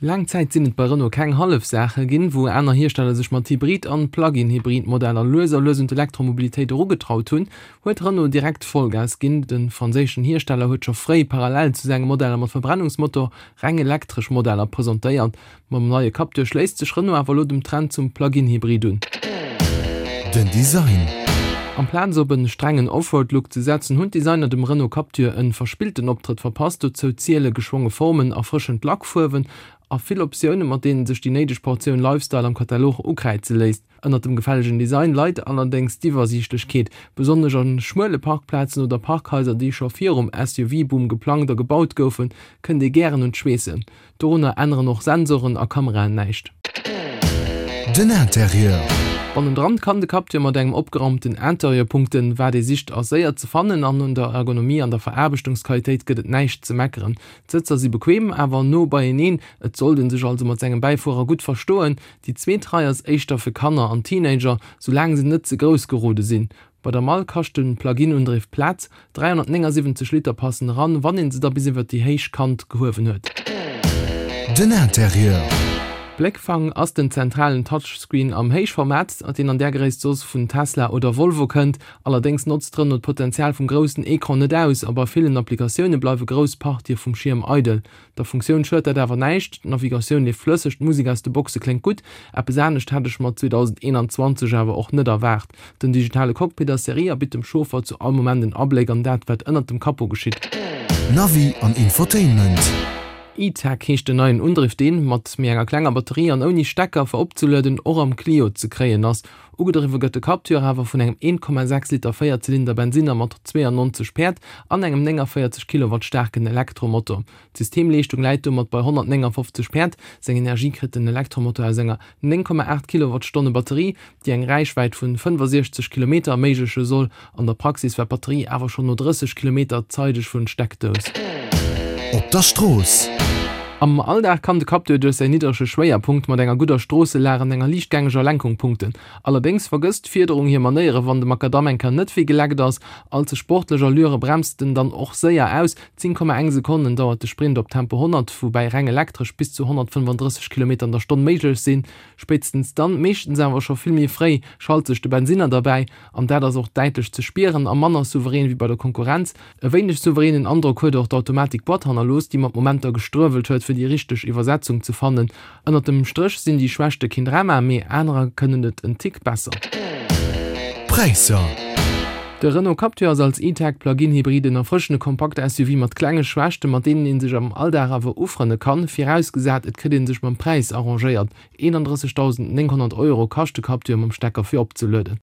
Laang Zäit sinn et bei Renault keng hallef Saache ginn, wou aner Hiersteller sech mat Hybrid an Plug-in-Hybrid-Modeller lues a lues un d'Elektromobilitéit erugetraut hunn, huet Renault direkt Vollgas ginn. De franséischen Hiersteller huet scho fréi parallel zu senge Modeller mat Verbrennungsmotor reng elektresch Modeller presentéiert. Mam neie Captur schléisst sech Renault awer elo dem Trend zum Plug-in-Hybrid un. Den Design. Amplaz op en strengen Offroad-Look ze setzen, hunn d'Designer dem Renault Captur en verspillten Optrëtt verpasst. Dozou ziele geschwonge Formen, erfrëschend Lackfuerwen a vill Optiounen, mat deenen sech déi néideg Portioun Lifestyle am Katalog ukräize léisst. Ënnert dem gefällegen Design leit allerdéngs d'Iwwersiichtlechkeet. Besonnesch a schmuele Parkplazen oder Parkhaiser, déi scho virum SUV-Boom geplangt a gebaut goufen, kënnt ee gären un d'Schweessen. Dorunner änneren och Sensoren a Kameraen näischt. Den Interieur. Bannendran kann de Captur mat engem opgeraumten Interieur punkten. Wat ee sicht ass séier ze fannen an un der Ergonomie an der Veraarbechtungsqualitéit gëtt et näischt ze meckeren. D'Sëtzer si bequem, awer no beieneen, et sollt ee sech also mat sengem Bäifuerer gutt verstoen. Déi zweet Rei ass éischter fir Kanner an Teenager, soulaang se net ze grouss gerode sinn. Bei der Mall kascht de Plug-in-Undriff Plaz, 379 Liter passen eran, wann een se da bis iwwert déi héich Kant gehuewen huet. Den Interieur. Bléckfang ass den zentralen Touchscreen am Héichformat, deen an där Gréisst soss vun Tesla oder Volvo kënnt. Allerdéngs notzt Renault d'Potenzial vum groussen Ecran net aus a bei villen Applikatioune bleiwe grouss Partië vum Schierm eidel. Der Funktioun schued dat awer näischt, d'Navigatioun leeft flësseg, d'Musek aus de Boxe kléngt gutt. Eppes anescht hätt ech mer 2021 awer och net erwaart. Den digitale Cockpit ass Serie a bitt dem Chauffer zu all Moment en Abléck an dat, wat ënnert dem Capot geschitt. Navi an Infotainment. E-Tech heescht den neien Undriff, deen, mat méi enger klenger Batterie an ouni Stecker fir opzelueden, och am Clio ze kréien ass. Ugedriwwe gëtt de Captur awer vun engem 1,6 Liter Véierzylinder Bensinner mat 92 Päerd an engem 49 Kilowatt staarken Elektromotor. D'Systemleeschtung läit domat bei 159 Päerd. Seng Energie kritt den Elektromotor aus enger 9,8 Kilowattstonne Batterie, déi eng Räichwäit vun 65 Kilometer erméigleche soll. An der Praxis war d'Batterie awer schonn no 30 Kilometer zeideg vun Steckdous. Op der Strooss. Am Alldag kann de Captur duerch säin niddrege Schwéierpunkt mat enger gudder Stroosselag an enger liichtgängeger Lenkung punkten. Allerdéngs vergësst d'Fiederung hir Manéiere wann de Makadamm eng Kéier net wéi geleckt ass. All ze sportlech Allüre bremst en dann och séier aus. 10,1 Sekonnen dauert de Sprint op Tempo 100, woubäi reng elektresch bis zu 135 Kilometer an der Stonn méiglech sinn. Spéitstens dann, meeschtens awer scho vill méi fréi, schalt sech de Bensinner derbäi an dat ass och däitlech ze spieren a manner souverän wéi bei der Konkurrenz. E wéineg souveränen Androck huet och d'Automatik-Boîte hannerlooss, déi mat Momenter gestruewelt huet, fir déi richteg Iwwersetzung ze fannen. Ënnert dem Stréch sinn déi Schwächte keen Drama, mee anerer kënnen et en Tick besser. Präisser. De Renault Captur ass als E-Tech Plug-in-Hybrid en erfrëschende kompakte SUV mat klenge Schwächten, mat deenen ee sech am Alldag awer ufrënne kann, virausgesat et kritt ee sech mam Präis arrangéiert. 31.900 Euro kascht de Captur mam Stecker fir opzelueden.